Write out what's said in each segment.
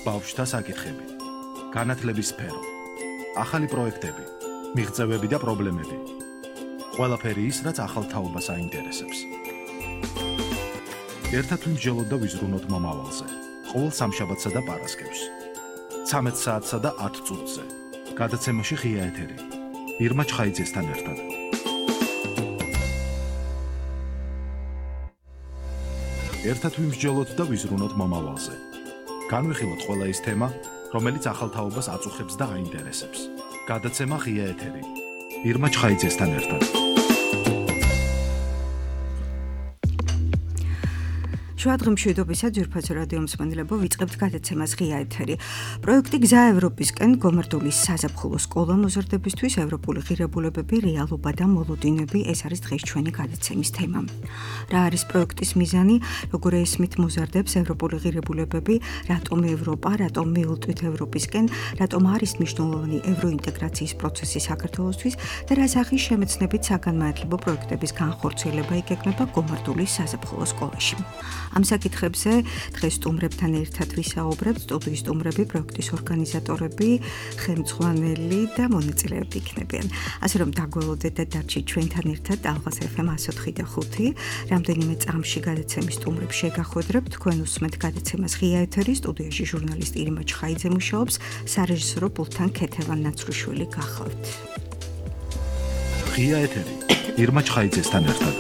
ბავშვთა საკითხები, განათლების სფერო, ახალი პროექტები, მიღწევები და პრობლემები. ყველაფერი ის, რაც ახალ თაობას აინტერესებს. ერთად ვიმსჯელოთ და ვიზრუნოთ მომავალზე. ყოველ სამშაბათსა და პარასკევს. 13 საათსა და 10 წუთზე. გადაცემაში ღია ეთერი. ირმა ჩხაიძესთან ერთად. ერთად ვიმსჯელოთ და ვიზრუნოთ მომავალზე. განვიხილოთ ყველა ის თემა, რომელიც ახალ თაობას აწუხებს და აინტერესებს. გადაცემა ღია ეთერი. ირმა ჩხაიძესთან ერთად. შუადღემშვიდობისა ძვირფასო რადიო მსმენელებო, ვიწყებთ გადაცემას ღია ეთერი. პროექტი გზა ევროპისკენ გომართულის საზაფხულო სკოლა მოზარდებისთვის ევროპული ღირებულებები, რეალობა და მოლოდინები, ეს არის დღეს ჩვენი გადაცემის თემა. რა არის პროექტის მიზანი, როგორ ესმით მოზარდებს ევროპული ღირებულებები, რატომ ევროპა, რატომ მიულტვით ევროპისკენ, რატომ არის მნიშვნელოვანი ევროინტეგრაციის პროცესი საქართველოსთვის და რა სახის შემეცნებით საგანმანათლებლო პროექტების განხორციელება იგეგმება გომართულის საზაფხულო სკოლაში. ამ საკითხებზე დღეს სტუმრებთან ერთად ვისაუბრებთ. სტუდიის სტუმრები, პროექტის ორგანიზატორები, ხელმძღვანელი და მონაწილეები იქნებიან. ასე რომ დაგველოდეთ და დარჩით ჩვენთან ერთად ალღას FM 104.5. რამდენიმე წამში გადაცემის სტუმრებს შეგახვედრებთ. თქვენ უსმენთ გადაცემას ღია ეთერი. სტუდიაში ჟურნალისტი ირმა ჩხაიძე მუშაობს, სარეჟისორო პულტთან ქეთევან ნაცრუშვილი გახლავთ. ღია ეთერი. ირმა ჩხაიძესთან ერთად.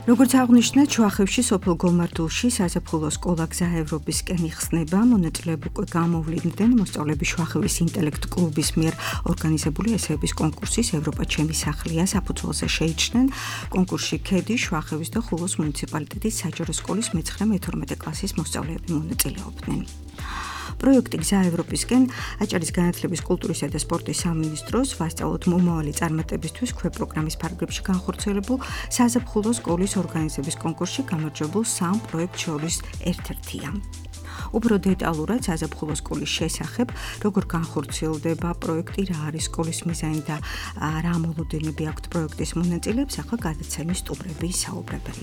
როგორც აღნიშნეთ, შუახევში სოფელ გომართულში საზაფხულო სკოლა გზა ევროპისკენ იხსნება. მონაწილეები უკვე გამოვლინდნენ მოსწავლეები შუახევის ინტელექტ კლუბის მიერ ორგანიზებული ესეების კონკურსის ევროპა ჩემი სახლია საფუძველზე შეიჩნენ. კონკურსში ქედის, შუახევის და ხულოს მუნიციპალიტეტის საჯარო სკოლის მე-9-12 კლასის მოსწავლეები მონაწილეობდნენ. პროექტი გზა ევროპისკენ აჭარის განათლების, კულტურისა და სპორტის სამინისტროს ვასწავლოთ მომავალი წარმატებისთვის ქვეპროგრამის ფარგლებში განხორციელებულ საზაფხულო სკოლის ორგანიზების კონკურსში გამარჯვებულ 3 პროექტ შორის ერთ-ერთია. უფრო დეტალურად საზაფხულო სკოლის შესახებ, როგორ განხორციელდება პროექტი, რა არის სკოლის მიზანი და რა მოლოდინები აქვთ პროექტის მონაწილეებს, ახლა გადაცემის სტუმრები ისაუბრებენ.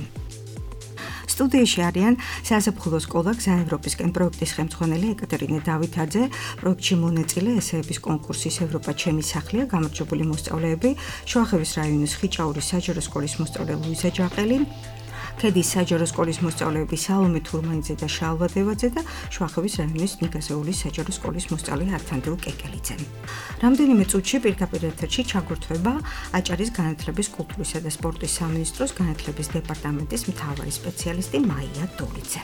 სტუდიაში არიან საზაფხულო სკოლა გზა ევროპისკენ პროექტის ხელმძღვანელი ეკატერინე დავითაძე, პროექტში მონაწილე ესეების კონკურსის ევროპა ჩემი სახლია გამარჯვებული მოსწავლეები, შუახევის რაიონის ხიჭაურის საჯარო სკოლის მოსწავლე ლუიზა ჯაყელი, ქედის საჯარო სკოლის მოსწავლეები სალომე თურმანიძე და შალვა დევაძე და შუახევის რაიონის ნიგაზეულის საჯარო სკოლის მოსწავლე ართანდრუ კეკელიძე. რამდენიმე წუთში პირდაპირ ეთერში ჩაგვრთვება აჭარის განათლების, კულტურისა და სპორტის სამინისტროს განათლების დეპარტამენტის მთავარი სპეციალისტი მაია დოლიძე.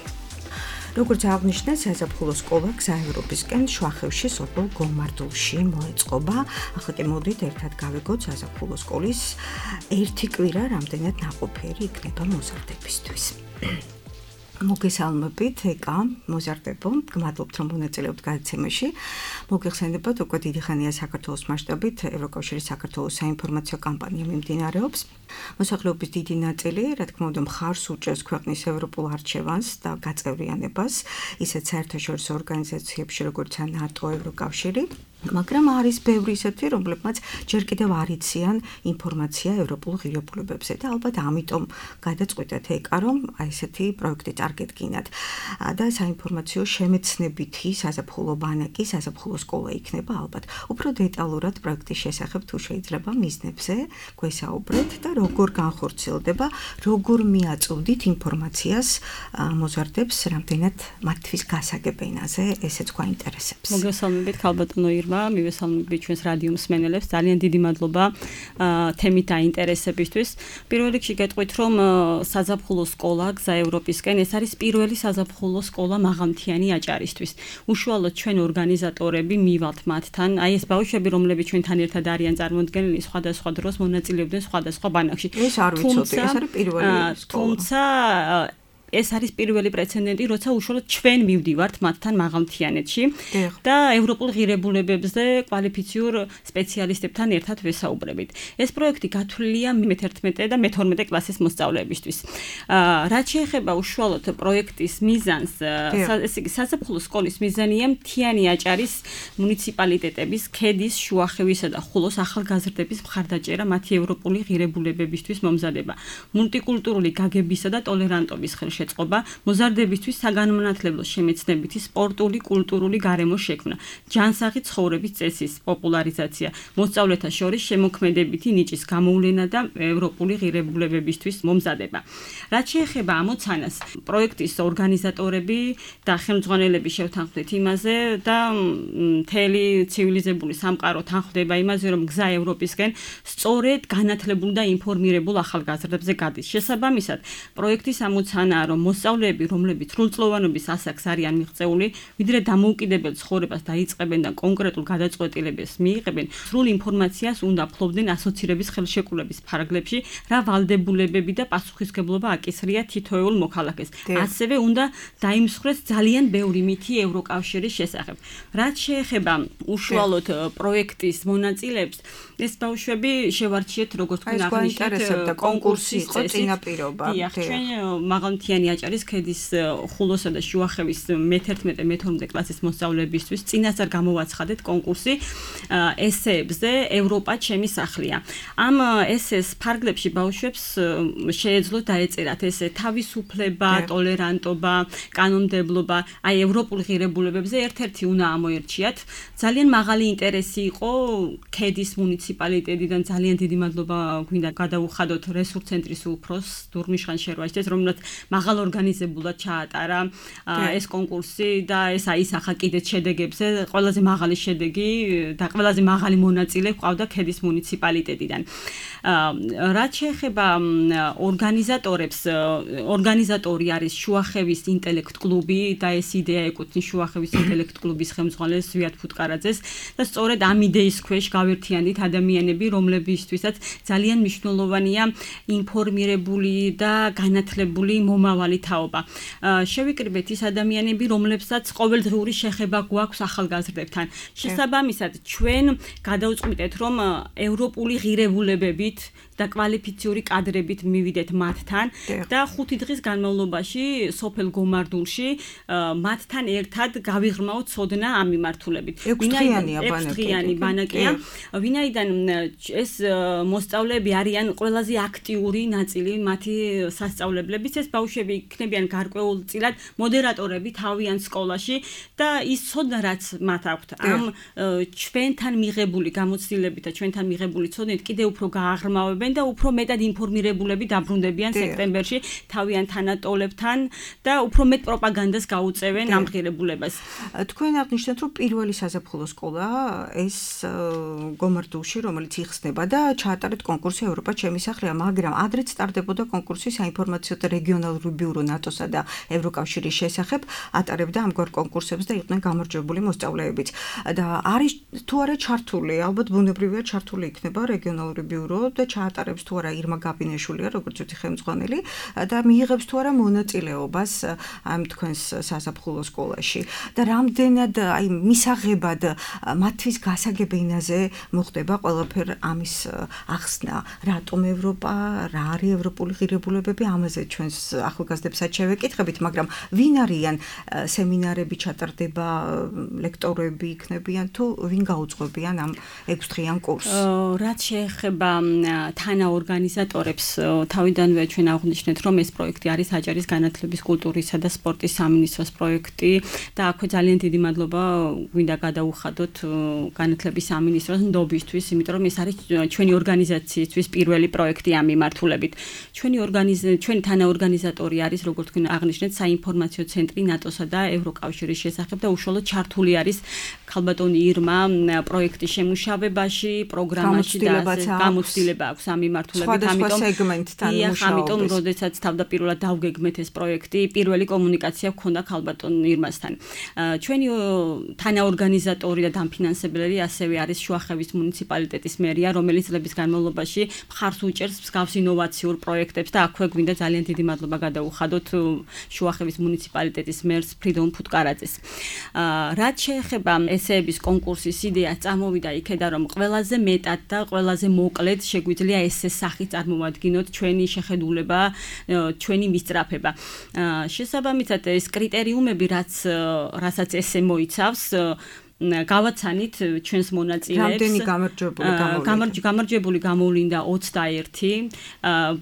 როგორც აღნიშნეთ, საზაფხულო სკოლა გზა ევროპისკენ შუახევში სოფელ გომართულში მოეწყობა. ახლა კი მოდით ერთად გავიგოთ საზაფხულო სკოლის ერთი კვირა რამდენად ნაყოფიერი იქნება მოზარდებისთვის. მოგესალმებით, ეკა, მოზარდებო, გმადლობთ რომ მონაწილეობთ გადაცემაში. მოგეხსენებათ, უკვე დიდი ხანია საქართველოს მასშტაბით ევროკავშირის საქართველოს საინფორმაციო კამპანია მიმდინარეობს. მოსახლეობის დიდი ნაწილი, რა თქმა უნდა, მხარს უჭერს ქვეყნის ევროპულ არჩევანს და გაწევრიანებას, ისეთ საერთაშორისო ორგანიზაციებში, როგორც ნატო, ევროკავშირი. მაგრამ არის ბევრი ისეთი, რომლებმაც ჯერ კიდევ არ იციან ინფორმაცია ევროპულ ღირებულებებზე და ალბათ ამიტომ გადაწყვიტეთ ეკა, რომ აი ესეთი პროექტი წარგედგინათ. და საინფორმაციო შემეცნებითი საზაფხულო ბანაკი, საზაფხულო სკოლა იქნება ალბათ. უფრო დეტალურად პროექტის შესახებ თუ შეიძლება მიზნებზე გვესაუბრეთ და როგორ განხორციელდება, როგორ მიაწვდით ინფორმაციას მოზარდებს, რამდენად მათთვის გასაგებ ენაზე, ესეც გვაინტერესებს. მოგესალმებით, ქალბატონო ირმა, მივესალმებით ჩვენს რადიო მსმენელებს. ძალიან დიდი მადლობა თემით დაინტერესებისთვის. პირველ რიგში გეტყვით, რომ საზაფხულო სკოლა გზა ევროპისკენ ეს არის პირველი საზაფხულო სკოლა მაღალმთიანი აჭარისთვის. უშუალოდ ჩვენ ორგანიზატორები მივალთ მათთან, აი ეს ბავშვები, რომლებიც ჩვენთან ერთად არიან წარმოდგენილი, სხვადასხვა დროს მონაწილეობდნენ სხვადასხვა ბანაკში. ეს არ ვიცოდი, ეს არის პირველი სკოლა. თუმცა ეს არის პირველი პრეცედენტი, როცა უშუალოდ ჩვენ მივდივართ მათთან მაღალმთიანეთში და ევროპულ ღირებულებებზე კვალიფიციურ სპეციალისტებთან ერთად ვესაუბრებით. ეს პროექტი გათვლილია მე-11 და მე-12 კლასის მოსწავლეებისთვის. რაც შეეხება უშუალოდ პროექტის მიზანს, ესე იგი საზაფხულო სკოლის მიზანია მთიანი აჭარის მუნიციპალიტეტების, ქედის, შუახევისა და ხულოს ახალგაზრდების მხარდაჭერა მათი ევროპული ღირებულებებისთვის მომზადება. მულტიკულტურული გაგებისა და ტოლერანტობის შეწყობა, მოზარდებისთვის საგანმანათლებლო შემეცნებითი, სპორტული, კულტურული გარემო შექმნა, ჯანსაღი ცხოვრების წესის პოპულარიზაცია, მოსწავლეთა შორის შემოქმედებითი ნიჭის გამოვლენა და ევროპული ღირებულებებისთვის მომზადება. რაც შეეხება ამოცანას, პროექტის ორგანიზატორები და ხელმძღვანელები შევთანხმდით იმაზე და მთელი ცივილიზებული სამყარო თანხმდება იმაზე, რომ გზა ევროპისკენ სწორედ განათლებულ და ინფორმირებულ ახალგაზრდებზე გადის. შესაბამისად, პროექტის ამოცანაა, რომ მოსწავლეები, რომლებიც სრულწლოვანობის ასაკს არიან მიღწეული, ვიდრე დამოუკიდებელ ცხოვრებას დაიწყებენ და კონკრეტულ გადაწყვეტილებას მიიღებენ, სრულ ინფორმაციას უნდა ფლობდნენ ასოცირების ხელშეკრულების ფარგლებში, რა ვალდებულებები და პასუხისმგებლობა აკისრია თითოეულ მოქალაქეს. ასევე უნდა დაიმსხვრეს ძალიან ბევრი მითი ევროკავშირის შესახებ. რაც შეეხება უშუალოდ პროექტის მონაწილეებს, ეს ბავშვები შევარჩიეთ, როგორც თქვენ აღნიშნეთ, კონკურსის წინაპირობა. ჩვენ მაღალმთიანი აჭარის ქედის ხულოსა და შუახევის მე-11-მე-12 კლასის მოსწავლეებისთვის წინასწარ გამოვაცხადეთ კონკურსი ესეებზე ევროპა ჩემი სახლია. ამ ესეს ფარგლებში ბავშვებს შეეძლოთ დაეწერათ ესე თავისუფლება, ტოლერანტობა, კანონმდებლობა, აი ევროპულ ღირებულებებზე ერთ-ერთი უნდა ამოერჩიათ. ძალიან მაღალი ინტერესი იყო ქედის მუნიციპალიტეტიდან, ძალიან დიდი მადლობა გვინდა გადაუხადოთ რესურს ცენტრის უფროს დურმიშხან შერვაშიძეს, რომელსაც მაღალ ორგანიზებულად ჩაატარა ეს კონკურსი და ეს აისახა კიდეც შედეგებზე, ყველაზე მაღალი შედეგი და ყველაზე მაღალი მონაწილე ყავდა ქედის მუნიციპალიტეტიდან. რაც შეეხება ორგანიზატორებს, ორგანიზატორი არის შუახევის ინტელექტ კლუბი და ეს იდეა ეკუთვნის შუახევის ინტელექტ კლუბის ხელმძღვანელს ზვიად ფუტკარაძეს და სწორედ ამ იდეის ქვეშ გავერთიანდით ადამიანები, რომლებისთვისაც ძალიან მნიშვნელოვანია ინფორმირებული და განათლებული მომავალი თაობა. შევიკრიბეთ ის ადამიანები, რომლებსაც ყოველდღიური შეხება გვაქვს ახალგაზრდებთან. შესაბამისად, ჩვენ გადავწყვიტეთ, რომ ევროპული ღირებულებებით და კვალიფიციური კადრებით მივიდეთ მათთან და 5 დღის განმავლობაში სოფელ გომარდულში მათთან ერთად გავიღრმავთ ცოდნა ამ მიმართულებით. 6-დღიანი ბანაკია, ვინაიდან ეს მოსწავლეები არიან ყველაზე აქტიური ნაწილი მათი სასწავლებლების, ეს ბავშვები იქნებიან გარკვეულწილად მოდერატორები თავიანთ სკოლაში და ის ცოდნა რაც მათ აქვთ ამ ჩვენთან მიღებული გამოცდილებით და ჩვენთან მიღებული ცოდნით კიდევ უფრო გააღრმავებენ და უფრო მეტად ინფორმირებულები დაბრუნდებიან სექტემბერში თავიანთ თანატოლებთან და უფრო მეტ პროპაგანდას გაუწევენ ამ ღირებულებას. თქვენ აღნიშნეთ, რომ პირველი საზაფხულო სკოლა ეს გომარდულში, რომელიც იხსნება და ჩაატარეთ კონკურსი ევროპა ჩემი სახლია, მაგრამ ადრეც სტარდებოდა კონკურსი საინფორმაციო და რეგიონალური ბიურო ნატოსა და ევროკავშირის შესახებ, ატარებდა ამგვარ კონკურსებს და იყვნენ გამარჯვებული მოსწავლეებიც. და არის თუ არა ჩართული, ალბათ ბუნებრივია ჩართული იქნება რეგიონალური ბიურო და ჩაატარებს თუ არა ირმა გაბინეშვილია, როგორც ვთქვი, ხელმძღვანელი და მიიღებს თუ არა მონაწილეობას ამ თქვენს საზაფხულო სკოლაში. და რამდენად აი მისაღებად მათთვის გასაგებინაზე მოხდება ყველაფერ ამის ახსნა, რატომ ევროპა, რა არის ევროპული ღირებულებები, ამაზე ჩვენს ახალგაზრდებსაც შევეკითხებით, მაგრამ ვინ არიან სემინარები ჩატარდება, ლექტორები იქნებიან თუ ვინ გაუძღვებიან ამ 6-დღიან კურსს? რაც შეეხება თანაორგანიზატორებს, თავიდანვე ჩვენ აღვნიშნეთ, რომ ეს პროექტი არის აჭარის განათლების, კულტურისა და სპორტის სამინისტროს პროექტი და აქვე ძალიან დიდი მადლობა გვინდა გადაუხადოთ განათლების სამინისტროს ნდობისთვის, იმიტომ რომ ეს არის ჩვენი ორგანიზაციისთვის პირველი პროექტი ამ მიმართულებით. ჩვენი თანაორგანიზატორი არის, როგორც თქვენ აღნიშნეთ, საინფორმაციო ცენტრი ნატოსა და ევროკავშირის შესახებ და უშუალოდ ჩართული არის ქალბატონი ირმა პროექტის შემუშავებაში, პროგრამაში და გამოცდილება აქვს ამ მიმართულებით, ამიტომ როდესაც თავდაპირველად დავგეგმეთ ეს პროექტი, პირველი კომუნიკაცია გქონდა ქალბატონ ირმასთან. ჩვენი თანაორგანიზატორი და დამფინანსებელი ასევე არის შუახევის მუნიციპალიტეტის მერია, რომელიც წლების განმავლობაში მხარს უჭერს მსგავს ინოვაციურ პროექტებს და აქვე გვინდა ძალიან დიდი მადლობა გადაუხადოთ შუახევის მუნიციპალიტეტის მერს ფრიდონ ფუტკარაძეს. რაც შეეხება ესეების კონკურსის იდეა, წამოვიდა იქედან, რომ ყველაზე მეტად და ყველაზე მოკლედ შეგვიძლია ესეს სახით წარმოვადგინოთ ჩვენი შეხედულება, ჩვენი მისწრაფება. შესაბამისად ეს კრიტერიუმები, რასაც ესე მოიცავს, გავაცანით ჩვენს მონაწილეებს. რამდენი გამარჯვებული გამოვლინდა 21.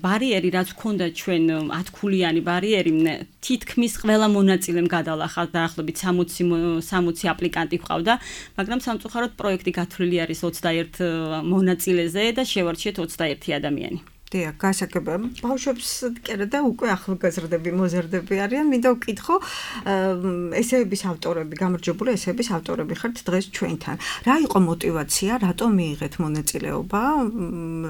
ბარიერი რაც ჰქონდა ჩვენ 10 ქულიანი ბარიერი თითქმის ყველა მონაწილემ გადალახა დაახლოებით 60 აპლიკანტი ყავდა, მაგრამ სამწუხაროდ პროექტი გათვლილი არის 21 მონაწილეზე და შევარჩიეთ 21 ადამიანი. დიახ, გასაგებია. ბავშვებს კერა და უკვე ახალგაზრდები, მოზარდები არიან. მინდა ვკითხო, ესეების ავტორები, გამარჯვებული ესეების ავტორები ხართ დღეს ჩვენთან. რა იყო мотиваცია, რატომ მიიღეთ მონაწილეობა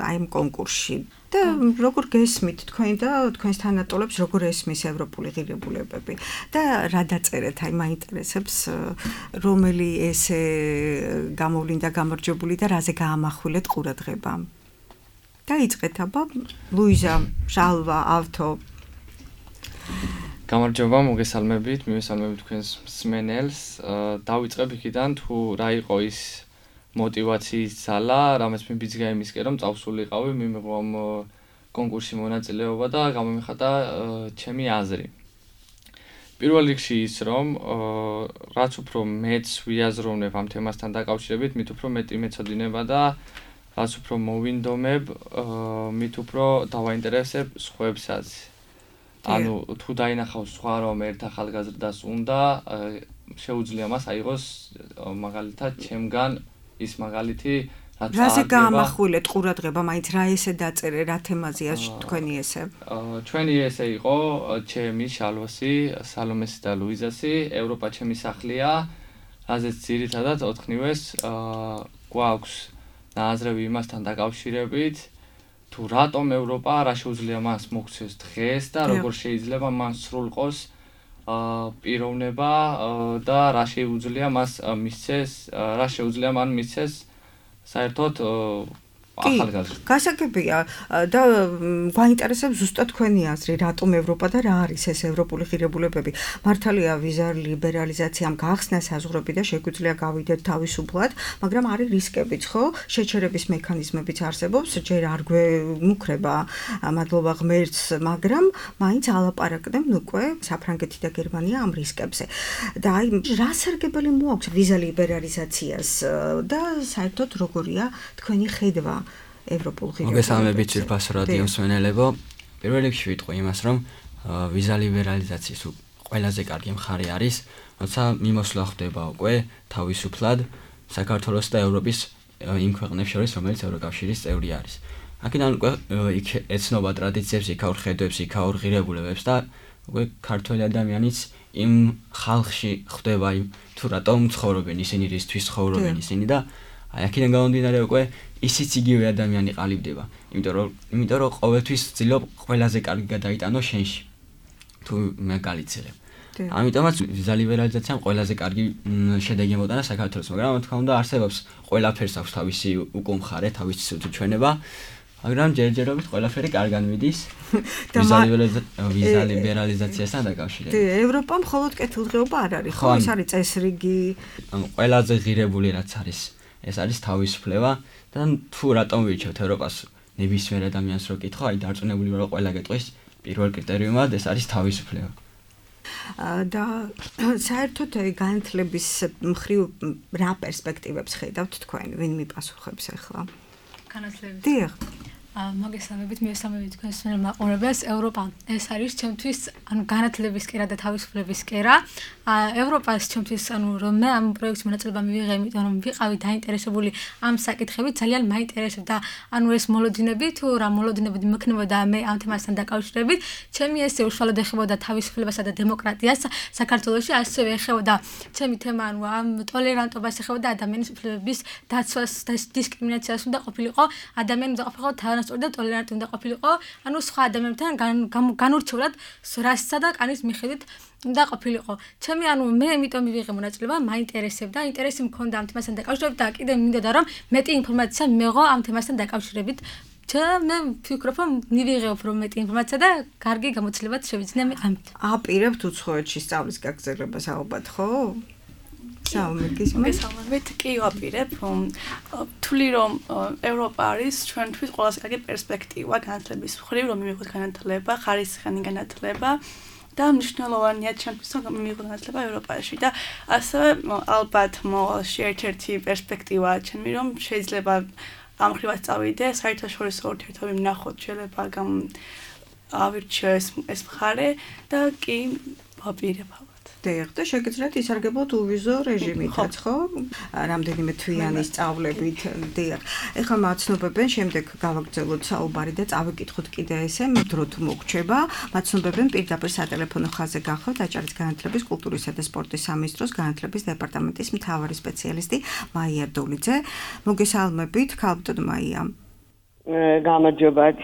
აი ამ კონკურსში? და როგორ გესმით თქვენ და თქვენს თანატოლებს როგორ ესმის ევროპული ღირებულებები და რა დაწერეთ, აი მაინტერესებს რომელი ესე გამოვლინდა გამარჯვებული და რაზე გაამახვილეთ ყურადღება. დაიწყეთ აბა ლუიზა, ჟალვა, ავთო. გამარჯობა, მოგესალმებით, მივესალმებით თქვენს მსმენელს. დავიწყებ იქიდან თუ რა იყო ის мотиваციის ძალა, რამაც მე ბიძგა იმისკენ რომ წავსულიყავი, მიმიღო ამ კონკურსში მონაწილეობა და გამომიხატა ჩემი აზრი. პირველ რიგში ის რომ რაც უფრო მეც ვიაზროვნებ ამ თემასთან დაკავშირებით, მით უფრო მეტი მეცოდინება და რაც უფრო მოვინდომებ, მით უფრო დავაინტერესებ სხვებსაც. ანუ თუ დაინახავს სხვა რომ ერთ ახალგაზრდას უნდა, შეუძლია მას აიღოს მაგალითად ჩემგან ის მაგალითი რაც რაზე გაამახვილეთ ყურადღება, მაინც რა ესე დაწერე, რა თემაზეა თქვენი ესე? ჩვენი ესე იყო ჩემი, შალვასი, სალომესი და ლუიზასი, ევროპა ჩემი სახლია, რაზეც ძირითადად ოთხნივეს გვაქვს ნაზრები იმასთან დაკავშირებით, თუ რატომ ევროპა, რა შეუძლია მას მოქცეს დღეს და როგორ შეიძლება მან სრულყოს პიროვნება და რა შეუძლია მას მისცეს, რა შეუძლია მან მისცეს საერთოდ ახალგაზრდა. გასაგებია და გვაინტერესებს ზუსტად თქვენი აზრი, რატომ ევროპა და რა არის ეს ევროპული ღირებულებები. მართალია ვიზა ლიბერალიზაციამ გახსნა საზღვრები და შეგვიძლია გავიდეთ თავისუფლად, მაგრამ არის რისკებიც, ხო? შეჩერების მექანიზმებიც არსებობს, ჯერ არ გვემუქრება მადლობა ღმერთს, მაგრამ მაინც ალაპარაკდნენ უკვე საფრანგეთი და გერმანია ამ რისკებზე. და აი რა სარგებელი მოაქვს ვიზა ლიბერალიზაციას და საერთოდ როგორია თქვენი ხედვა ევროპულ ღირებულებებზე? მოგესალმებით ძვირფასო რადიო მსმენელებო. პირველ რიგში ვიტყვი იმას, რომ ვიზა ლიბერალიზაციის ყველაზე კარგი მხარე არის, როცა მიმოსვლა ხდება უკვე თავისუფლად საქართველოს და ევროპის იმ ქვეყნებს შორის, რომელიც ევროკავშირის წევრი არის. აქედან უკვე იქ ეცნობა ტრადიციებს, იქაურ ხედვებს, იქაურ ღირებულებებს და უკვე ქართველი ადამიანიც იმ ხალხში ხდება იმ თუ რატომ ცხოვრობენ ისინი, რისთვის ცხოვრობენ ისინი და აი აქედან გამომდინარე უკვე ისიც იგივე ადამიანი ყალიბდება. იმიტომ რომ ყოველთვის ვცდილობ ყველაზე კარგი გადაიტანო შენში. თუ მე გალიცხებ. ამიტომაც ვიზა ლიბერალიზაციამ ყველაზე კარგი შედეგი მოტანა საქართველოს, მაგრამ თქმა უნდა არსებობს ყველაფერს აქვს თავისი უკუმხარე, თავისი სუჩვენება, მაგრამ ჯერჯერობით ყველაფერი კარგად მიდის ვიზა ლიბერალიზაციასთან დაკავშირებით. ევროპა მხოლოდ კეთილდღეობა არ არის, ხო? ეს არის წესრიგი. ყველაზე ღირებული რაც არის ეს არის თავისუფლება და თუ რატომ ვირჩევთ ევროპას ნებისმიერ ადამიანს რო კითხო, აი დარწმუნებული ვარ რომ ყველა გეტყვის პირველ კრიტერიუმად ეს არის თავისუფლება. და საერთოდ განათლების მხრივ რა პერსპექტივებს ხედავთ თქვენ, ვინ მიპასუხებს ახლა? განათლების. დიახ. მოგესალმებით, მივესალმებით თქვენს მაყურებელს. ევროპა ეს არის ჩემთვის ანუ განათლების კერა და თავისუფლების კერა. ევროპას ჩემთვის ანუ რომ მე ამ პროექტში მონაწილეობა მივიღე, იმიტომ რომ ვიყავი დაინტერესებული ამ საკითხებით, ძალიან მაინტერესებდა ანუ ეს მოლოდინები, თუ რა მოლოდინები მექნებოდა მე ამ თემასთან დაკავშირებით. ჩემი ესე უშუალოდ ეხებოდა თავისუფლებასა და დემოკრატიას საქართველოში, ასევე ეხებოდა ჩემი თემა ანუ ამ ტოლერანტობას ეხებოდა ადამიანის უფლებების დაცვას და დისკრიმინაციას უნდა ყოფილიყო, ადამიანი უნდა ყოფილიყო თანასწორი და ტოლერანტი უნდა ყოფილიყო, ანუ სხვა ადამიანებთან განურჩევლად რასისა და კანის მიხედვით უნდა ყოფილიყო. ჩემი ანუ მე იმიტომ მივიღე მონაწილეობა, მაინტერესებდა, ინტერესი მქონდა ამ თემასთან დაკავშირებით და კიდე მინდოდა რომ მეტი ინფორმაცია მიიღო ამ თემასთან დაკავშირებით. მე ვფიქრობ, რომ მივიღეო უფრო მეტი ინფორმაცია და კარგი გამოცდილებაც შევიძინე მე ამით. აპირებთ უცხოეთში სწავლის გაგრძელებას ალბათ, ხო? მოგესალმებით, კი ვაპირებ. თვლი რომ ევროპა არის ჩვენთვის ყველაზე კარგი პერსპექტივა განათლების მხრივ, რომ მივიღოთ განათლება, ხარისხიანი განათლება და მნიშვნელოვანია ჩემთვის რომ მიიღო განათლება ევროპაში და ასევე ალბათ მოვალში ერთ-ერთი პერსპექტივაა ჩემი რომ შეიძლება ამ ხრივაც წავიდე საერთაშორისო ურთიერთობები ვნახოთ შეიძლება ავირჩიოს ეს მხარე და კი ვაპირებ და შეგიძლიათ ისარგებლოთ უვიზო რეჟიმითაც, ხო? რამდენიმე თვიანი სწავლებით. დიახ. ეხლა მაცნობებენ, შემდეგ გავაგრძელოთ საუბარი და წავიკითხოთ კიდე ესე, დრო თუ მოგრჩება. მაცნობებენ პირდაპირ სატელეფონო ხაზზე გახლავთ აჭარის განათლების, კულტურისა და სპორტის სამინისტროს განათლების დეპარტამენტის მთავარი სპეციალისტი მაია დოლიძე. მოგესალმებით, ქალბატონ მაია. გამარჯობათ.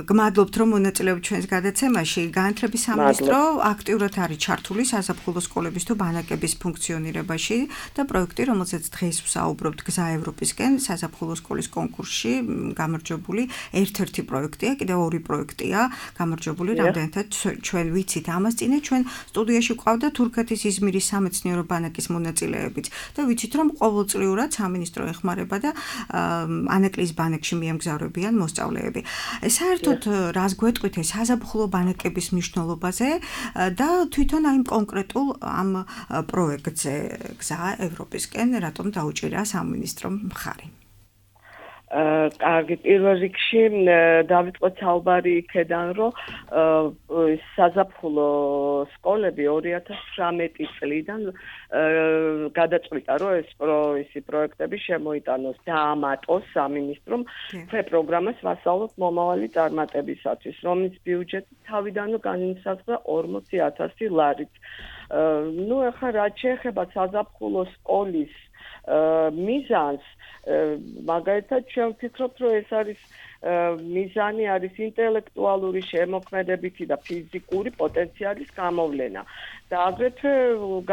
გმადლობთ რომ მონაწილეობთ ჩვენს გადაცემაში. განათლების სამინისტრო აქტიურად არის ჩართული საზაფხულო სკოლების თუ ბანაკების ფუნქციონირებაში და პროექტი, რომელზეც დღეს ვსაუბრობთ, გზა ევროპისკენ საზაფხულო სკოლის კონკურსში გამარჯვებული ერთ-ერთი პროექტია, კიდევ ორი პროექტია გამარჯვებული, რამდენადაც ჩვენ ვიცით ამას წინე ჩვენ სტუდიაში გვყავდა თურქეთის იზმირის სამეცნიერო ბანაკის მონაწილეებიც და ვიცით რომ ყოველწლიურად სამინისტრო ეხმარება და ანაკლის ბანაკში მიემგზავრებიან მოსწავლეები. საერთოდ რას გვეტყვით ეს საზაფხულო ბანაკების მნიშვნელობაზე და თვითონ აი კონკრეტულ ამ პროექტზე გზა ევროპისკენ რატომ დაუჭირა სამინისტრომ მხარი? კარგი, პირველ რიგში დავიწყოთ საუბარი იქედან, რომ საზაფხულო სკოლები 2018 წლიდან გადაწყვიტა, რომ ეს პროექტები შემოიტანოს და ამატოს სამინისტრომ პროგრამას ვასწავლოთ მომავალი წარმატებისათვის, რომლის ბიუჯეტი თავიდანვე განისაზღვრა 40,000 ლარით. ეხლა რაც შეეხება საზაფხულო სკოლის მიზანს, მაგალითად ჩვენ ვფიქრობთ, რომ ეს არის მიზანი არის ინტელექტუალური შემოქმედებითი და ფიზიკური პოტენციალის გამოვლენა. და აგრეთვე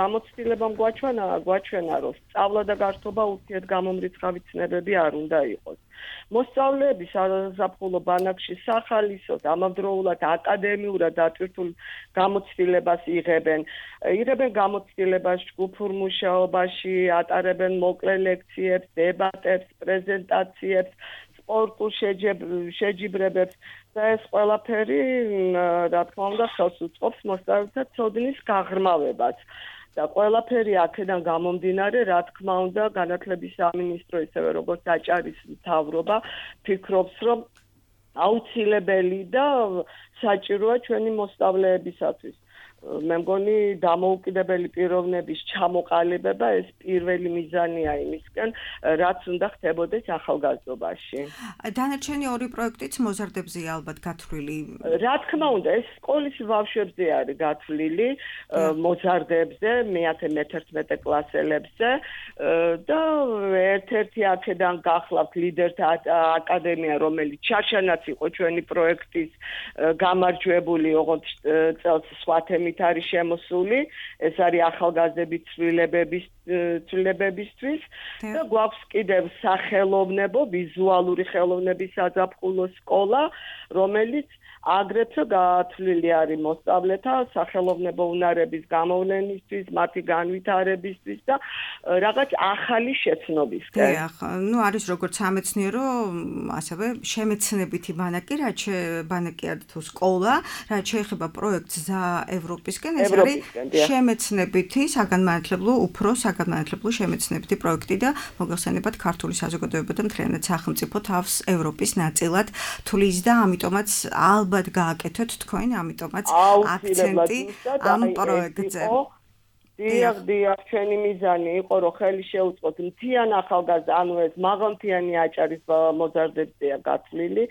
გამოცდილებამ გვაჩვენა, რომ სწავლა და გართობა ურთიერთგამომრიცხავი ცნებები არ უნდა იყოს. მოსწავლეები საზაფხულო ბანაკში სახალისოდ ამავდროულად აკადემიურად დატვირთულ გამოცდილებას იღებენ გამოცდილებას ჯგუფურ მუშაობაში, ატარებენ მოკლე ლექციებს, დებატებს, პრეზენტაციებს, სპორტულ შეჯიბრებებს და ეს ყველაფერი, რა თქმა უნდა, ხელს უწყობს მოსწავლეთა ცოდნის გაღრმავებას. და ყველაფერი აქედან გამომდინარე, რა თქმა უნდა, განათლების სამინისტრო ისევე როგორც აჭარის მთავრობა ფიქრობს, რომ აუცილებელი და საჭიროა ჩვენი მოსწავლეებისათვის. მე მგონი დამოუკიდებელი პიროვნების ჩამოყალიბება ეს პირველი მიზანია იმისკენ, რაც უნდა ხდებოდეს ახალგაზრდობაში. დანარჩენი ორი პროექტიც მოზარდებზეა ალბათ გათვლილი. რა თქმა უნდა, ეს სკოლის ბავშვებზე არის გათვლილი, მოზარდებზე, მე-11 კლასელებზე და ერთ-ერთი აქედან გახლავთ ლიდერთა აკადემია, რომელიც ჩარჩანაც იყო ჩვენი პროექტის გამარჯვებული, ოღონდ წელს სხვა თემით არის შემოსული, ეს არის ახალგაზრდების ცვლილებებისთვის და გვაქვს კიდევ სახელოვნებო, ვიზუალური ხელოვნების საზაფხულო სკოლა, რომელიც აგრეთვე გათვლილი არის მოსწავლეთა სახელოვნებო უნარების გამოვლენისთვის, მათი განვითარებისთვის და რაღაც ახალი შეცნობისკენ. დიახ, არის როგორც სამეცნიერო, ასევე შემეცნებითი ბანაკი, ბანაკია თუ სკოლა, რაც შეეხება პროექტს გზა ევროპისკენ, ეს არის შემეცნებითი, უფრო საგანმანათლებლო შემეცნებითი პროექტი და მოგეხსენებათ ქართული საზოგადოება და მთლიანად სახელმწიფო თავს ევროპის ნაწილად თulis და ამიტომაც ალბათ გააკეთოთ თქვენ, ამიტომაც აქცენტი ამ პროექტზე. დიახ, ჩვენი მიზანი იყო, რომ ხელი შეუწყოთ მთიან ახალგაზრდა, ანუ ეს მაღალმთიანი აჭარის მოზარდებზეა გათვლილი.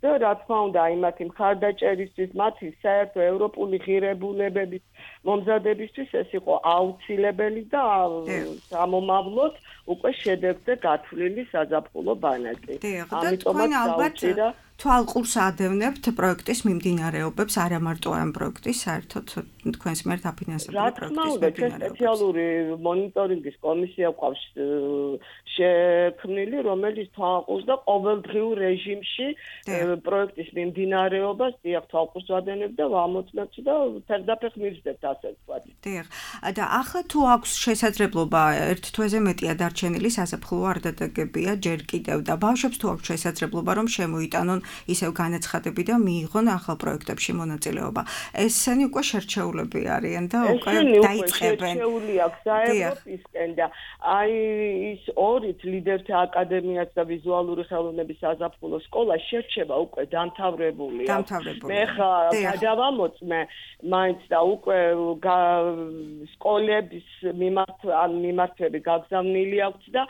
და რა თქმა უნდა, იმათი მხარდაჭერისთვის, მათი საერთო ევროპული ღირებულებების მომზადებისთვის ეს იყო აუცილებელი და ამომავლოდ უკვე შედეგზე გათვლილი საზაფხულო ბანაკი. ამიტომაც დაუჭირა თვალყურს ადევნებთ პროექტის მიმდინარეობებს, არა მარტო ამ პროექტის, საერთოდ თქვენს მიერ დაფინანსებული პროექტის მიმდინარეობებს. რა თქმა უნდა, სპეციალური მონიტორინგის კომისია გვყავს შექმნილი, რომელიც თვალყურს და ყოველდღიურ რეჟიმში პროექტის მიმდინარეობას თვალყურს ვადენებ და ვამოწმებთ და ფერდაფეხ მივსდებთ, ასე ვთქვათ. დიახ. და ახლა თუ აქვს შესაძლებლობა ერთ თვეზე მეტია დარჩენილი საზაფხულო არდადეგებია ჯერ კიდევ და ბავშვებს თუ აქვს შესაძლებლობა რომ შემოიტანონ ისევ განაცხადები და მიიღონ ახალ პროექტებში მონაწილეობა. ესენი უკვე შერჩეულები არიან და უკვე დაიწყებენ. შერჩეული აქვს ევროპისკენ და აი ის ორით ლიდერთა აკადემიაც და ვიზუალური ხელოვნების საზაფხულო სკოლა შერჩება უკვე დამთავრებულია. მე ხა გადავამოწმე მაინც და უკვე სკოლების მიმართვები გაგზავნილი აქვს და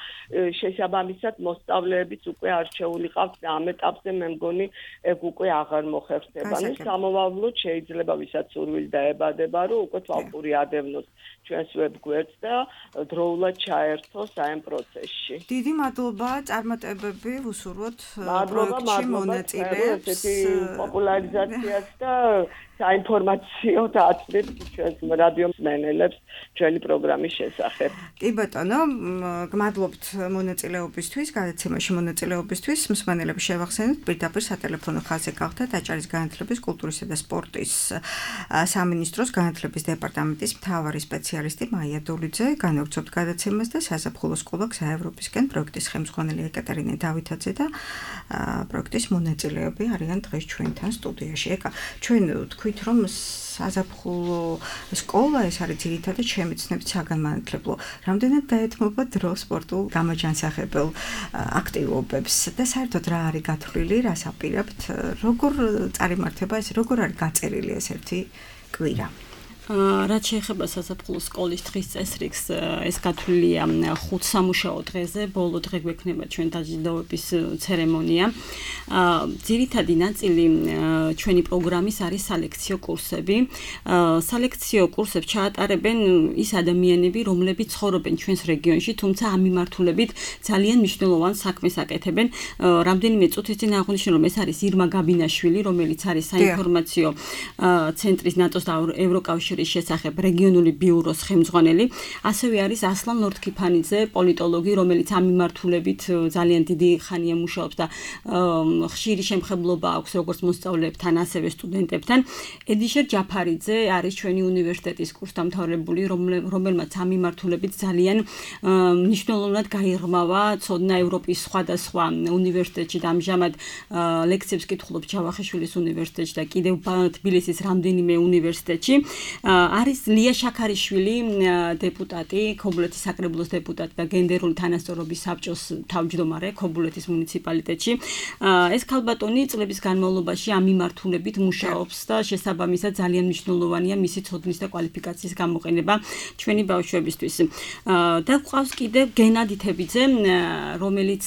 შესაბამისად მოსწავლეებიც უკვე არჩეული ყავთ და ამ ეტაპზე მე მგონი ეგ უკვე აღარ მოხერხდება. ნუ სამოვალოდ შეიძლება ვისაც სურვილი დაებადება რომ უკვე თვალყური ადევნოს ჩვენს ვებგვერდს და დროულად ჩაერთოს აი ამ პროცესში. დიდი მადლობა, წარმატებები ვუსურვოთ პროექტში მონაწილეებს, ესეთი პოპულარიზაციას და საინფორმაციო დაწვით ჩვენს რადიო მსმენელებს ჩვენი პროგრამის შესახებ. კი ბატონო, გმადლობთ მონაწილეობისთვის, გადაცემაში მონაწილეობისთვის. მსმენელებს შევახსენებთ, პირდაპირ სატელეფონო ხაზზე გახდა დაჭერის განათლების, კულტურისა და სპორტის სამინისტროს განათლების დეპარტამენტის მთავარი სპეციალისტი მაია დოლიძე. განავრცობთ გადაცემას და საზაფხულო სკოლა გზაევროპისკენ პროექტის ხელმძღვანელი ეკატერინე დავითაძე და პროექტის მონაწილეები არიან დღეს ჩვენთან სტუდიაში. ეკა, ჩვენ თქვით რომ საზაფხულო სკოლა ეს არის ძირითადად შემეცნებით საგანმანათლებლო. რამდენად დაეთმობა დრო სპორტულ გამაჯანსაღებელ აქტივობებს და საერთოდ რა არის გათვლილი, რას აპირებთ, როგორ წარიმართება ეს, როგორ არის გაწერილი ეს ერთი კვირა? რაც შეეხება საზაფხულო სკოლის დღის წესრიგს, ეს გათვლილია 5 სამუშაო დღეზე, ბოლო დღე გვექნება ჩვენ დაჯილდოების ცერემონია. ძირითადი ნაწილი ჩვენი პროგრამის არის სალექციო კურსები. სალექციო კურსებს ჩაატარებენ ის ადამიანები, რომლებიც ცხოვრობენ ჩვენს რეგიონში, თუმცა ამ მიმართულებით ძალიან მნიშვნელოვან საქმეს აკეთებენ. რამდენიმე წუთის წინ აღვნიშნე, რომ ეს არის ირმა გაბინაშვილი, რომელიც არის საინფორმაციო ცენტრის ნატოს და ევროკავშირის შესახებ რეგიონული ბიუროს ხელმძღვანელი, ასევე არის ასლან ლორთქიფანიძე, პოლიტოლოგი, რომელიც ამ მიმართულებით ძალიან დიდი ხანია მუშაობს და ხშირი შემხებლობა აქვს როგორც მოსწავლეებთან, ასევე სტუდენტებთან. ედიშერ ჯაფარიძე არის ჩვენი უნივერსიტეტის კურსდამთავრებული, რომელმაც ამ მიმართულებით ძალიან მნიშვნელოვნად გაიღრმავა ცოდნა ევროპის სხვადასხვა უნივერსიტეტში და ამჟამად ლექციებს კითხულობს ჯავახიშვილის უნივერსიტეტში და კიდევ თბილისის რამდენიმე უნივერსიტეტში. არის ლია შაქარიშვილი, დეპუტატი, ქობულეთის საკრებულოს დეპუტატი და გენდერული თანასწორობის საბჭოს თავმჯდომარე ქობულეთის მუნიციპალიტეტში. ეს ქალბატონი წლების განმავლობაში ამ მიმართულებით მუშაობს და შესაბამისად ძალიან მნიშვნელოვანია მისი ცოდნის და კვალიფიკაციის გამოყენება ჩვენი ბავშვებისთვის. და გვყავს კიდევ გენადი თებიძე, რომელიც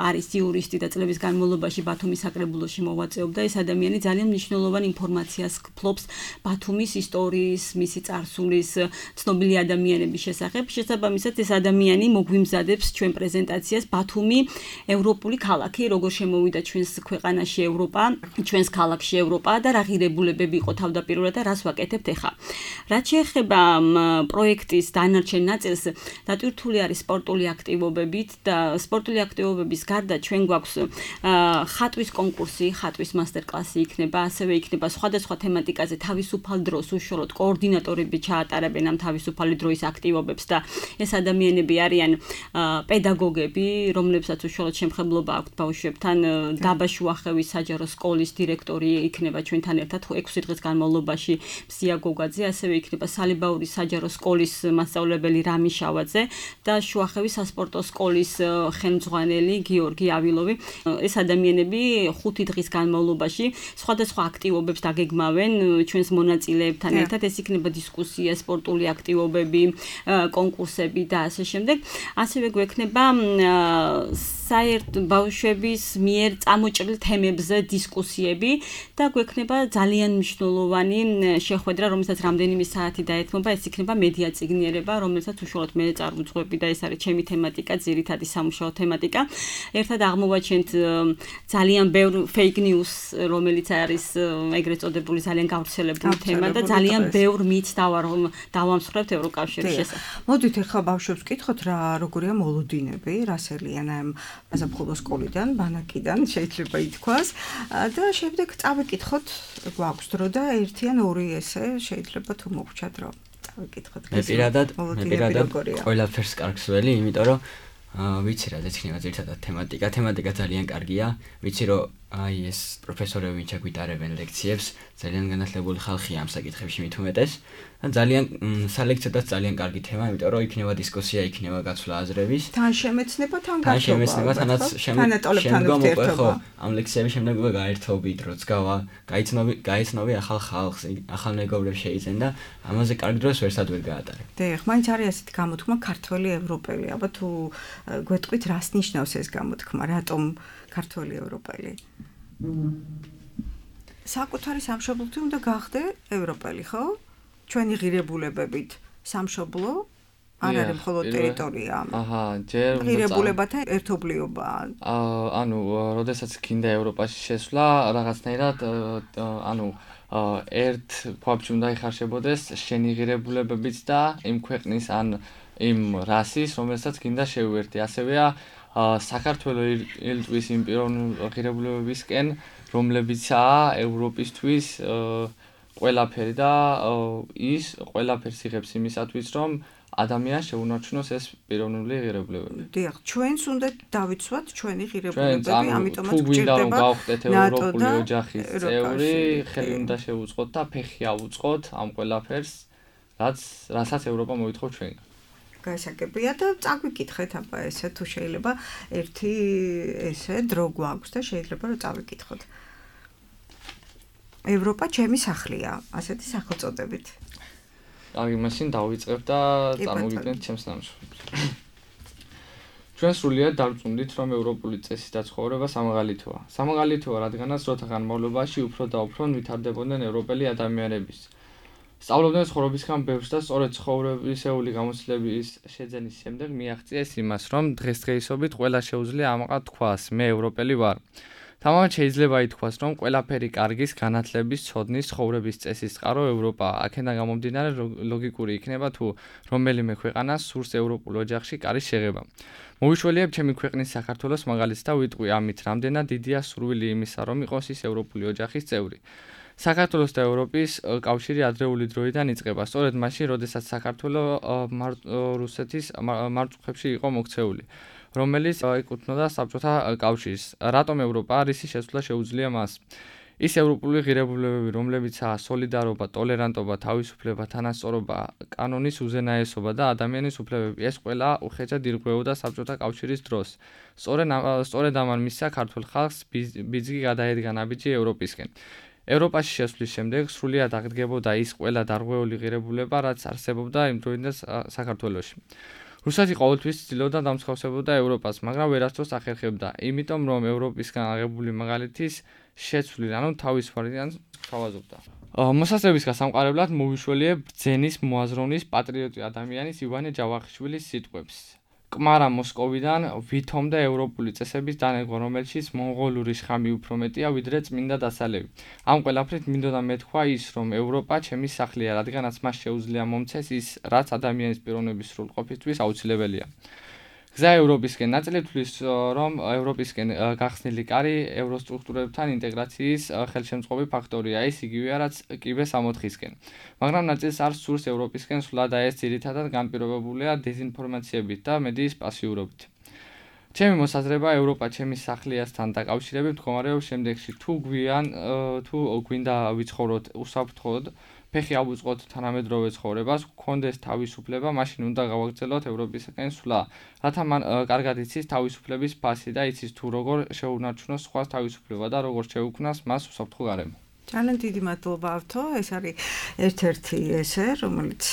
არის იურისტი და წლების განმავლობაში ბათუმის საკრებულოში მოვაწეობდა. ეს ადამიანი ძალიან მნიშვნელოვან ინფორმაციას ფლობს ბათუმის ისტორიის, მისი წარსულის, ცნობილი ადამიანების შესახებ. შესაბამისად ეს ადამიანი მოგვიმზადებს ჩვენ პრეზენტაციას ბათუმი ევროპული ქალაქი, როგორ შემოვიდა ჩვენს ქვეყანაში ევროპა, ჩვენს ქალაქში ევროპა და რა ღირებულებები იყო თავდაპირველად და რას ვაკეთებთ ახლა. რაც შეეხება პროექტის დანარჩენ ნაწილს, დატვირთული არის სპორტული აქტივობებით და სპორტული აქტივობების გარდა ჩვენ გვაქვს ხატვის კონკურსი, ხატვის მასტერკლასი იქნება, ასევე იქნება სხვადასხვა თემატიკაზე თავისუფალ დროს უშუალოდ კოორდინატორები ჩაატარებენ ამ თავისუფალი დროის აქტივობებს და ეს ადამიანები არიან პედაგოგები, რომლებსაც უშუალოდ შემხებლობა აქვთ ბავშვებთან. დაბა შუახევის საჯარო სკოლის დირექტორი იქნება ჩვენთან ერთად 6 დღის განმავლობაში მსია გოგაძე, ასევე იქნება სალებაურის საჯარო სკოლის მასწავლებელი რამი შავაძე და შუახევის სასპორტო სკოლის ხელმძღვანელი გიორგი ავილოვი. ეს ადამიანები 5 დღის განმავლობაში სხვადასხვა აქტივობებს დაგეგმავენ ჩვენს მონაწილეებთან ერთად. ეს იქნება დისკუსია, სპორტული აქტივობები, კონკურსები და ასე შემდეგ. ასევე გვექნება საერთ ბავშვების მიერ წამოჭრილ თემებზე დისკუსიები და გვექნება ძალიან მნიშვნელოვანი შეხვედრა, რომელსაც რამდენიმე საათი დაეთმობა. ეს იქნება მედია წიგნიერება, რომელსაც უშუალოდ მე წარმოვიწყები და ეს არის ჩემი თემატიკა, ძირითადი სამუშაო თემატიკა. ერთად აღმოვაჩენთ ძალიან ბევრ fake news, რომელიც არის ეგრეთ წოდებული ძალიან გავრცელებული თემა და ძალიან ბევრ მითს დავამსხვრევთ ევროკავშირის შესახებ. მოდით ახლა ბავშვებს ვკითხოთ რა როგორია მოლოდინები, რას ელიან ამ საზაფხულო სკოლიდან, ბანაკიდან შეიძლება ითქვას და შემდეგ წავიკითხოთ, გვაქვს დრო და 1 ან 2 ესე შეიძლება თუ მოგვრჩა დრო. წავიკითხოთ. მე პირადად ყველაფერს კარგს ველი, იმიტომ რომ ვიცი რა ეცქნება ძირითადად თემატიკა ძალიან კარგია. ვიცი რომ აი ეს პროფესორები ვინც აგვიტარებენ ლექციებს, ძალიან განათლებული ხალხია ამ საკითხებში მით უმეტეს. და ძალიან სალექციოდაც ძალიან კარგი თემა, იმიტომ რომ იქნება დისკუსია, იქნება გაცვლა აზრების. თან შემეცნება, თან გასწავლა. თან შემეცნება, თანაც თანატოლებთან ურთიერთობა. ამ ლექციების შემდეგ უკვე გაერთობით, როც გაიცნობი ახალ ხალხს, ახალ მეგობრებს შეიძენ და ამაზე კარგ დროს ვერსად ვერ გაატარებ. დიახ, მაინც არის ასეთი გამოთქმა ქართველი ევროპელი. აბა თუ გვეტყვით, რას ნიშნავს ეს გამოთქმა, რატომ ქართველი ევროპელი? საკუთარი სამშობლოთი უნდა გახდე ევროპელი, ხო? ჩვენი ღირებულებებით სამშობლო არ არის მხოლოდ ტერიტორია. აჰა, ჯერ ღირებულებათა ერთობლიობა. ანუ, როდესაც გინდა ევროპაში შესვლა, რაღაცნაირად ერთ ქვაბში უნდა იხარშებოდეს შენი ღირებულებებიც და იმ ქვეყნის ან იმ რასის, რომელსაც გინდა შეუერთდი. ასევეა საქართველოს ელტვის იმ პიროვნულ ღირებულებებისკენ, რომლებიცაა ევროპისთვის ყველაფერი და ის ყველაფერს იღებს იმისათვის, რომ ადამიანს შეუნარჩუნოს ეს პიროვნული ღირებულებები. დიახ, ჩვენს უნდა დავიცვათ ჩვენი ღირებულებები, ამიტომაც გვჭირდება გვჭირდება გავხდეთ ევროპული ოჯახის წევრი, ხელი უნდა შევუწყოთ და ფეხი ავუწყოთ ამ ყველაფერს, რასაც ევროპა მოითხოვს ჩვენგან. გაისაკებია და წაგვიკითხეთ აბა ესე თუ შეიძლება ერთი ესე დრო გვაქვს და შეიძლება რომ წავიკითხოთ. ევროპა ჩემი სახლია, ასეთი სახელწოდებით. აი, მაშინ დავიწყებ და წარმოგიდგენთ ჩემს ნამუშევრებს. ჩვენ სრულიად დავწუნდით, რომ ევროპული წესის დაცხოვრება სამაღალითოა. სამაღალითოა, რადგანაც დროთა განმავლობაში უფრო და უფრო ვითარდებოდნენ ევროპელი ადამიანების. სწავლობდნენ ცხოვრებისგან ბევრს და სწორედ ცხოვრებისეული გამოცდილების შეძენის შემდეგ მიაღწიეს იმას, რომ დღესდღეობით ყველა შეუძლია ამაყად თქვას, მე ევროპელი ვარ. თამამად შეიძლება ითქვას, რომ ყველაფერი კარგის, განათლების, ცოდნის, ცხოვრების წესის წყარო ევროპაა. აქედან გამომდინარე ლოგიკური იქნება თუ რომელიმე ქვეყანას სურს ევროპულ ოჯახში კარის შეღება. მოვიშველიებ ჩემი ქვეყნის საქართველოს მაგალითს და ვიტყვი ამით, რამდენად დიდია სურვილი იმისა, რომ იყოს ის ევროპული ოჯახის წევრი. საქართველოს და ევროპის კავშირი ადრეული დროიდან იწყება, სწორედ მაშინ, როდესაც საქართველო რუსეთის მარწუხებში იყო მოქცეული, რომელიც ეკუთვნოდა საბჭოთა კავშირს. რატომ ევროპა არის შესვლა შეუძლია მას? ის ევროპული ღირებულებები, რომლებიცაა სოლიდარობა, ტოლერანტობა, თავისუფლება, თანასწორობა, კანონის უზენაესობა და ადამიანის უფლებები, ეს ყველა უხეჭად ირღვეოდა საბჭოთა კავშირის დროს. სწორედ ამან მისცა ქართულ ხალხს ბიძგი გადაედგა ნაბიჯი ევროპისკენ. ევროპაში შესვლის შემდეგ სრულიად აღდგებოდა ის ყველა დარღვეული ღირებულება, რაც არსებობდა იმ დროიდან საქართველოში. რუსეთი ყოველთვის ცდილობდა დამსხავსებოდა ევროპას, მაგრამ ვერასდროს ახერხებდა, იმიტომ რომ ევროპისგან აღებული მაგალითის შეცვლილ, ანუ თავის ვარიანტს თავაზობდა. მოსასწრების გასამყარებლად მოვიშველიებ ბრძენის მოაზროვნის პატრიოტი ადამიანის ივანე ჯავახიშვილის სიტყვებს. კმარა მოსკოვიდან ვითომდა ევროპული წესების დანერგვა, რომელშიც მონღოლური შხამი უფრო მეტია, ვიდრე წმინდა დასალევი. ამ ყველაფრით მინდოდა მეთქვა ის, რომ ევროპა ჩემი სახლია, რადგანაც მას შეუძლია მომცეს ის, რაც ადამიანის პიროვნების სრულყოფისთვის აუცილებელია. გზა ევროპისკენ ნაწილი თვლის, რომ ევროპისკენ გახსნილი კარი ევროსტრუქტურებთან ინტეგრაციის ხელშემწყობი ფაქტორია, ის იგივეა, რაც კიბეს ამოთხისკენ. მაგრამ ნაწილს არ სურს ევროპისკენ სვლა და ეს ძირითადად განპირობებულია დეზინფორმაციებით და მედიის პასიურობით. ჩემი მოსაზრება ევროპა ჩემი სახლიასთან დაკავშირებით მდგომარეობს შემდეგში: თუ გვინდა ვიცხოვროთ უსაფრთხოდ, ფეხი ავუწყოთ თანამედროვე ცხოვრებას, გქონდეს თავისუფლება, მაშინ უნდა გავაგრძელოთ ევროპისკენ სვლა, რათა მან კარგად იცის თავისუფლების ფასი და იცის თუ როგორ შეუნარჩუნოს სხვას თავისუფლება და როგორ შეუქმნას მას უსაფრთხო გარემო. ძალიან დიდი მადლობა ავთო, ეს არის ერთ-ერთი ესე, რომელიც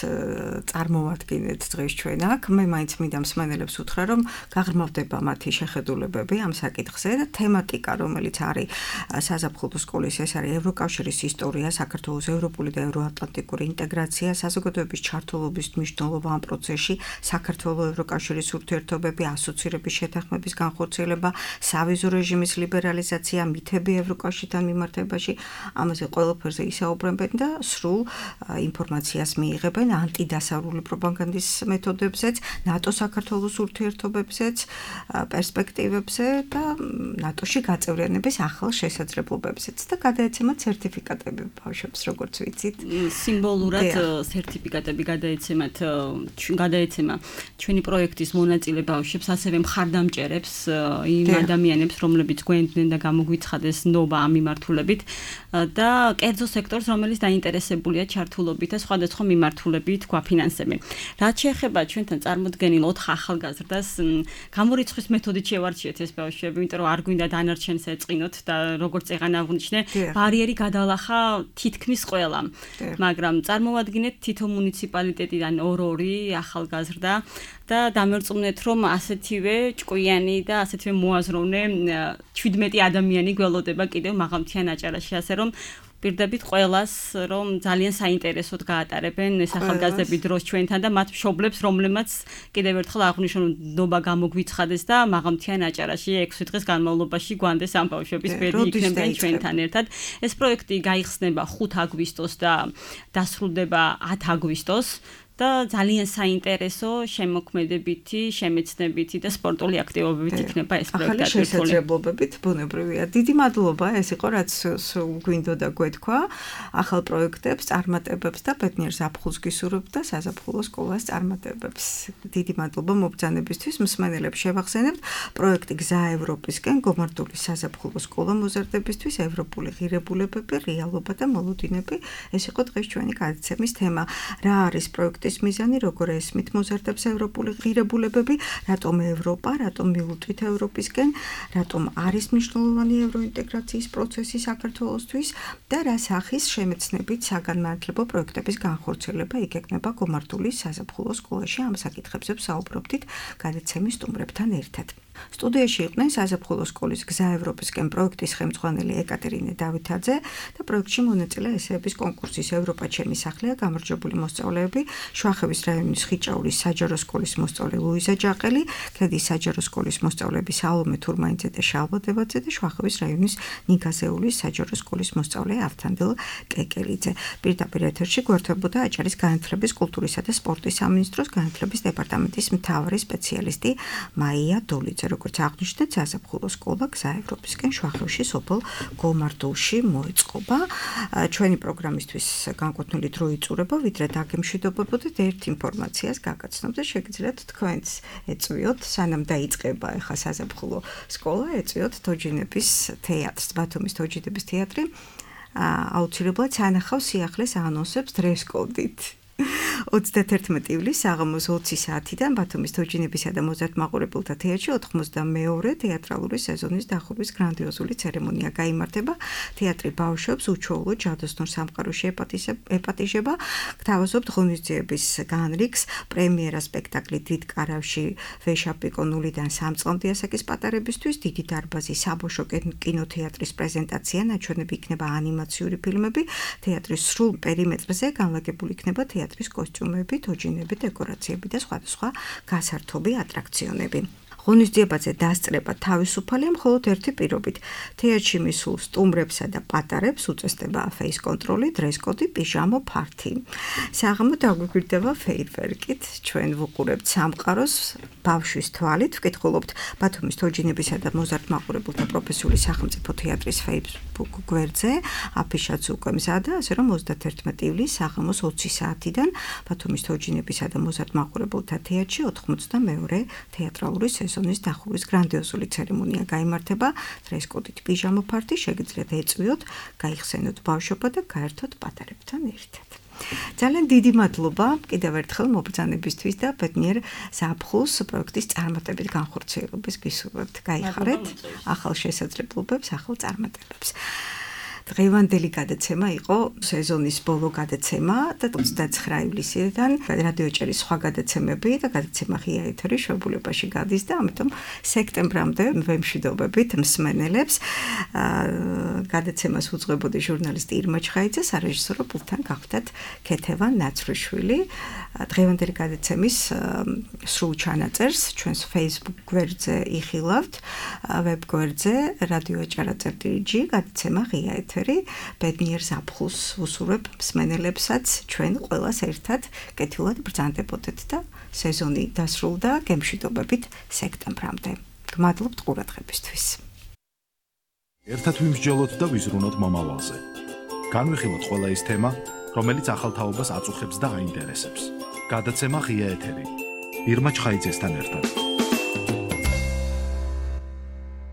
წარმოვადგინეთ დღეს ჩვენ აქ. მე მაინც მინდა მსმენელებს უთხრა, რომ გაღრმავდება მათი შეხედულებები ამ საკითხზე და თემატიკა, რომელიც არის საზაფხულო სკოლის, ეს არის ევროკავშირის ისტორია, საქართველოს ევროპული და ევროატლანტიკური ინტეგრაცია, საზოგადოების ჩართულობის მნიშვნელობა ამ პროცესში, საქართველოს ევროკავშირის ურთიერთობები, ასოცირების შეთანხმების განხორციელება, სავიზო რეჟიმის ლიბერალიზაცია, მითები ევროკავშირთან მიმართებაში. ამაზე ყველაფერზე ისაუბრებენ და სრულ ინფორმაციას მიიღებენ ანტიდასავლური პროპაგანდის მეთოდებზეც, ნატო-საქართველოს ურთიერთობებზეც, პერსპექტივებზე და ნატოში გაწევრიანების ახალ შესაძლებლობებზეც და გადაეცემათ სერტიფიკატები ბავშვებს, როგორც ვიცით. სიმბოლურად სერტიფიკატები გადაეცემა ჩვენი პროექტის მონაწილე ბავშვებს, ასევე მხარდამჭერებს, იმ ადამიანებს, რომლებიც გვენდნენ და გამოგვიცხადეს ნობა ამ მიმართულებით და კერძო სექტორს, რომელიც დაინტერესებულია ჩართულობით და სხვადასხვა მიმართულებით გვაფინანსებენ. რაც შეეხება ჩვენთან წარმოდგენილ 4 ახალგაზრდას, გამორიცხვის მეთოდით შევარჩიეთ ეს ბავშვები, იმიტომ რომ არ გვინდა დანარჩენს ეწყინოთ და როგორც წეღან აღვნიშნე, ბარიერი გადალახა თითქმის ყველამ. მაგრამ წარმოვადგინეთ თითო მუნიციპალიტეტიდან 2 ახალგაზრდა და დამერწმუნეთ, რომ ასეთივე ჭკვიანი და ასეთივე მოაზროვნე 17 ადამიანი გველოდება კიდევ მაღალმთიან აჭარაში, ასე რომ პირდებით ყველას, რომ ძალიან საინტერესოდ გაატარებენ ეს ახალგაზრდები დროს ჩვენთან და მათ მშობლებს, რომლებმაც კიდევ ერთხელ აღვნიშნონ, ნობა გამოგვიცხადეს და მაღალმთიან აჭარაში 6 დღის განმავლობაში გვანდეს ამ ბავშვების ბედი იქნებიან ჩვენთან ერთად. ეს პროექტი გაიხსნება 5 აგვისტოს და დასრულდება 10 აგვისტოს. და ძალიან საინტერესო შემოქმედებითი, შემეცნებითი და სპორტული აქტივობებით იქნება ეს პროექტი. ახალი შესაძლებლობებით ბუნებრივია. დიდი მადლობა, ეს იყო რაც გვინდოდა გვეთქვა. ახალ პროექტებს, წარმატებებს და ბედნიერ ზაფხულს გისურვებთ და საზაფხულო სკოლას წარმატებებს. დიდი მადლობა მობრძანებისთვის, მსმენელებს შევახსენებთ პროექტი გზა ევროპისკენ, გომარტული საზაფხულო სკოლა მოზარდებისთვის, ევროპული ღირებულებები, რეალობა და მოლოდინები. ეს იყო დღეს ჩვენი გადაცემის თემა. რა არის პროექტი მიზანი, როგორ ესმით მოზარდებს ევროპული ღირებულებები, რატომ ევროპა, რატომ მივუწვით ევროპისკენ, რატომ არის მნიშვნელოვანი ევროინტეგრაციის პროცესი საქართველოსთვის და რა სახის შემეცნებით საგანმანათლებლო პროექტების განხორციელება იქნება გომარტულის საზაფხულო სკოლაში. ამ საკითხებზე ვსაუბრობდით გადაცემის სტუმრებთან ერთად. სტუდიაში იყვნენ საზაფხულო სკოლის გზა ევროპისკენ პროექტის ხელმძღვანელი ეკატერინე დავითაძე და პროექტში მონაწილე ესეების კონკურსის ევროპა ჩემი სახლია გამარჯვებული მოსწავლეები, შვახევის რაიონის ხიჭაურის საჯარო სკოლის მოსწავლე ლუიზა ჯაყელი, ქედის საჯარო სკოლის მოსწავლეები საოლომე თურმაინძე და შალვა დებაძე და შვახევის რაიონის ნიგაზეულის საჯარო სკოლის მოსწავლე ავთანდილ კეკელიძე. პირდაპირ ეთერში გვერდებოდა აჭარის განათლების, კულტურისა და სპორტის სამინისტროს განათლების დეპარტამენტის მთავარი სპეციალისტი მაია დოლიძე. როგორც აღნიშნეთ, საზაფხულო სკოლა გზა ევროპისკენ შვახევში სოფელ გომარტულში მოეწყობა. ჩვენი პროგრამისთვის განკუთვნილი დრო იწურება, ვიდრე დაგემშვიდობებოდეთ ერთ ინფორმაციას გაგაცნობ და შეგიძლიათ თქვენც ეწვიოთ, სანამ დაიწყება ახლა საზაფხულო სკოლა, ეწვიოთ თოჯინების თეატრს, ბათუმის თოჯინების თეატრი აუცილებლად სანახავს სიახლეს ანონსებს დრეს-კოდით. 31 ივლისს საღამოს 20 საათიდან ბათუმის თოჯინებისა და მოზარდ მაყურებელთა თეატრში 92 თეატრალური სეზონის დახურვის გრანდიოზული ცერემონია გაიმართება. თეატრი ბავშვებს უჩვეულო ჯადოსნურ სამყაროში ეპატიჟება. გთავაზობთ ღონისძიების განრიგს, პრემიერა სპექტაკლი დიდ კარავში ვეშაპიკო 0-დან 3 წლამდე ასაკის პატარებისთვის, დიდი დარბაზი საბავშვო კინოთეატრის პრეზენტაცია, ნაჩვენები იქნება ანიმაციური ფილმები, თეატრის სრულ პერიმეტრზე განლაგებული იქნება თეატრის კოსტიუმები, თოჯინები, დეკორაციები და სხვადასხვა გასართობი ატრაქციონები. ღონისძიებაზე დასწრება თავისუფალია მხოლოდ ერთი პირობით. თეატრში მისულ სტუმრებსა და პატარებს უწესდება face control, dress code, პიჟამო ფართი. საღამო დაგვიგვირდება ფეირვერკით. ჩვენ ვუყურებთ სამყაროს ბავშვის თვალით, ვკითხულობთ ბათუმის თოჯინებისა და მოზარდ მაყურებელთა პროფესიული სახელმწიფო თეატრის Facebook გვერდზე. აფიშაც უკვე მზადა, ასე რომ 31 ივლისს საღამოს 20 საათიდან ბათუმის თოჯინებისა და მოზარდ მაყურებელთა თეატრში 92 თეატრალური სეზონის დახურვის გრანდიოზული ცერემონია გაიმართება. დრეს-კოდით პიჟამო ფართი შეგიძლიათ ეწვიოთ, გაიხსენოთ ბავშვობა და გაერთოთ პატარებთან ერთად. ძალიან დიდი მადლობა კიდევ ერთხელ მობრძანებისთვის და ბედნიერ ზაფხულს პროექტის წარმატებით განხორციელებას გისურვებთ. გაიხარეთ ახალ შესაძლებლობებს, ახალ წარმატებებს. დღევანდელი გადაცემა იყო სეზონის ბოლო გადაცემა და 29 ივლისიდან რადიოჭერის სხვა გადაცემები და გადაცემა ღია ეთერი შვებულებაში გადის და ამიტომ სექტემბრამდე ვემშვიდობებით მსმენელებს. გადაცემას უძღვებოდი ჟურნალისტი ირმა ჩხაიძე, სარეჟისორო პულტთან გახვდათ ქეთევან ნაცრიშვილი. დღევანდელი გადაცემის სრულ ჩანაწერს ჩვენს Facebook გვერდზე იხილავთ, ვებ გვერდზე რადიოაჭარა.gr გადაცემა ღია ეთერი ეთერი. ბედნიერ ზაფხულს ვუსურვებ მსმენელებსაც, ჩვენ ყველას ერთად კეთილად ბრძანდებოდეთ და სეზონი დასრულდა გემშვიდობებით სექტემბრამდე. გმადლობთ ყურადღებისთვის. ერთად ვიმსჯელოთ და ვიზრუნოთ მომავალზე. განვიხილოთ ყველა ის თემა, რომელიც ახალ თაობას აწუხებს და აინტერესებს. გადაცემა ღია ეთერი. ირმა ჩხაიძესთან ერთად.